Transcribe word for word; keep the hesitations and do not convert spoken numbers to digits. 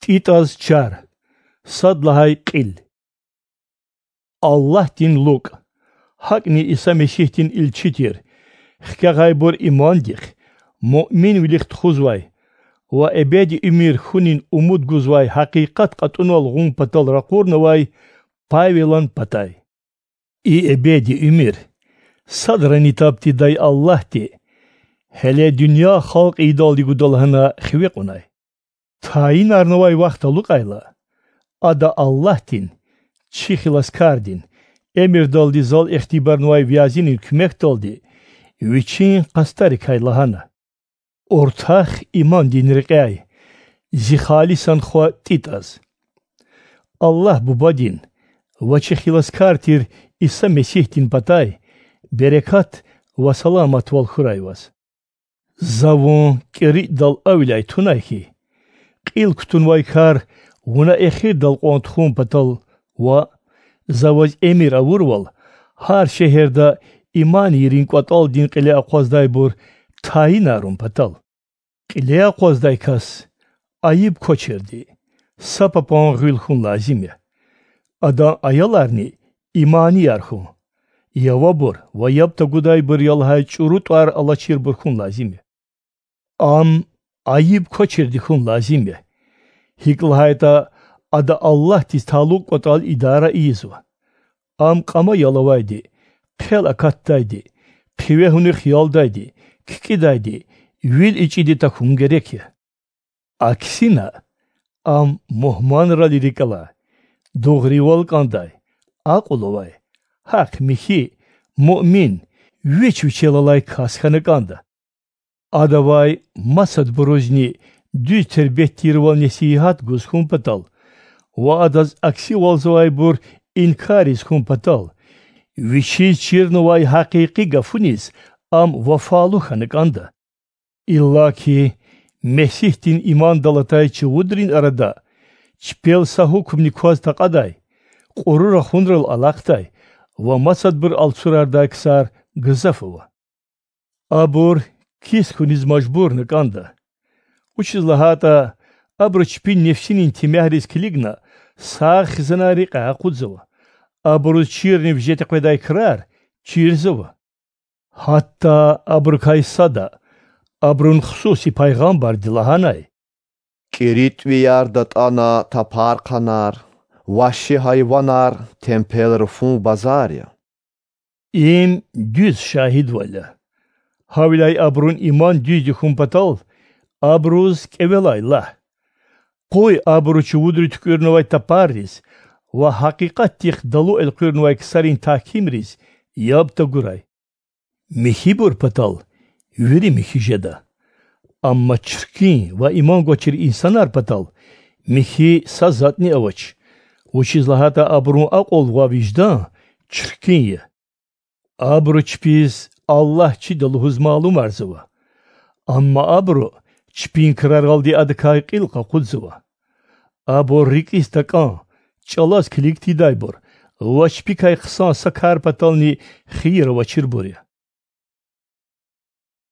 ТӀитӀаз чар. Сад лагьай кьил. Аллагьдин лукӀ, гьакӀни Иса Месигьдин илчи тир, хкягъайбур имандихъ, муъминвилихъ тухузвай ва эбеди уьмуьр хьунин умуд гузвай гьакъикъат кьатӀунвал гъун патал ракъурнавай Павелан патай. И эбеди уьмуьр садрани таб тийидай Аллагьди гьеле дуьнья халкь ийидалди гуда лагьана хиве кьунай. Тайинарнавай вахт алукьайла, ада Аллагьдин, чи хиласкардин, эмирдалди зал ихтибарнавай вязинин куьмекдалди вичин къастарикай лагьана: Уртах имандин рекьяй, зи халисан хва ТӀитӀаз. Аллагь Бубадин ва чи хиласкар тир Иса Месигьдин патай берекат ва саламатвал хьурай ваз. За вун КӀиритӀдал авиляй тунай хьи, кьил кутунвай кар вуна эхирдал кьван тухун патал ва, за ваз эмир авурвал, гьар шегьерда иман ийирин кӀватӀалдин кьиле акъваздайбур тайинарун патал. Кьиле акъваздай кас айиб квачирди, са папан гъуьл хьун лазим я. Адан аяларни иманияр хьун, явабур ва яб тагудайбур я лагьай чӀуру тӀвар алачирбур хьун лазим я. Ам айиб квачирди хьун лазим я, гьикӀ лагьайтӀа ада Аллагьдиз талукь кӀватӀал идара ийизва. Ам кьама ялавайди, хъел акатдайди, хъивегьунихъ ялдайди, кикӀидайди, вил ичӀиди тахьун герек я. Аксина, ам мугьманралди рикӀ алай, дугъривал кӀандай, акьул авай, гьахъ-михьи, муъмин, вич вичел алай кас хьана кӀанда. Адавай масадбурузни дуьз тербият тирвал несигьат гуз хьун патал ва адаз аксивалзавайбур инкарриз хьун патал, вичиз чирнавай гьакъикъи гафуниз ам вафалу хьана кӀанда. Иллаки Месигьдин имандал атай чувудрин арада чпел са гьукумни кваз такьадай, кьуру рахунрал алахъдай ва масадбур алцурардай ксар гзаф ава. Абур кис хьуниз мажбурна кӀанда. Вучиз лагьайтӀа абуру чпин нефсинин темягьриз килигна сагъ хизанар рекьяй акъудзава, абуруз чирни вижетӀи къведай крар чирзава. Гьатта абурукай сада, абурун хсуси пайгъамбарди лагьанай: КӀиритӀвияр датӀана тапархъанар, вагьши гьайванар темпел руфун базар я. Им дуьз шагьидвал я. Гьавиляй абурун иман дуьзди хьун патал абуруз кӀевелай лагь. Къуй абуру чувудри туькӀуьрнавай тапарриз ва гьакъикъатдихъ далу элкъуьрнавай ксарин тагькимриз яб тагурай. Михьибур патал вири михьи жеда. Амма чиркин ва иман гвачир инсанар патал михьи са затӀни авач, вучиз лагьайтӀа абурун акьул ва виждан чиркин я. Абуру чпиз Аллагь чида лугьуз малумарзава, амма абуру чпин краралди Адакай кьил къакъудзава. Абур рикӀиз такӀан, чӀалаз килиг тийидайбур ва чпикай хъсан са кар патални хийир авачирбур я.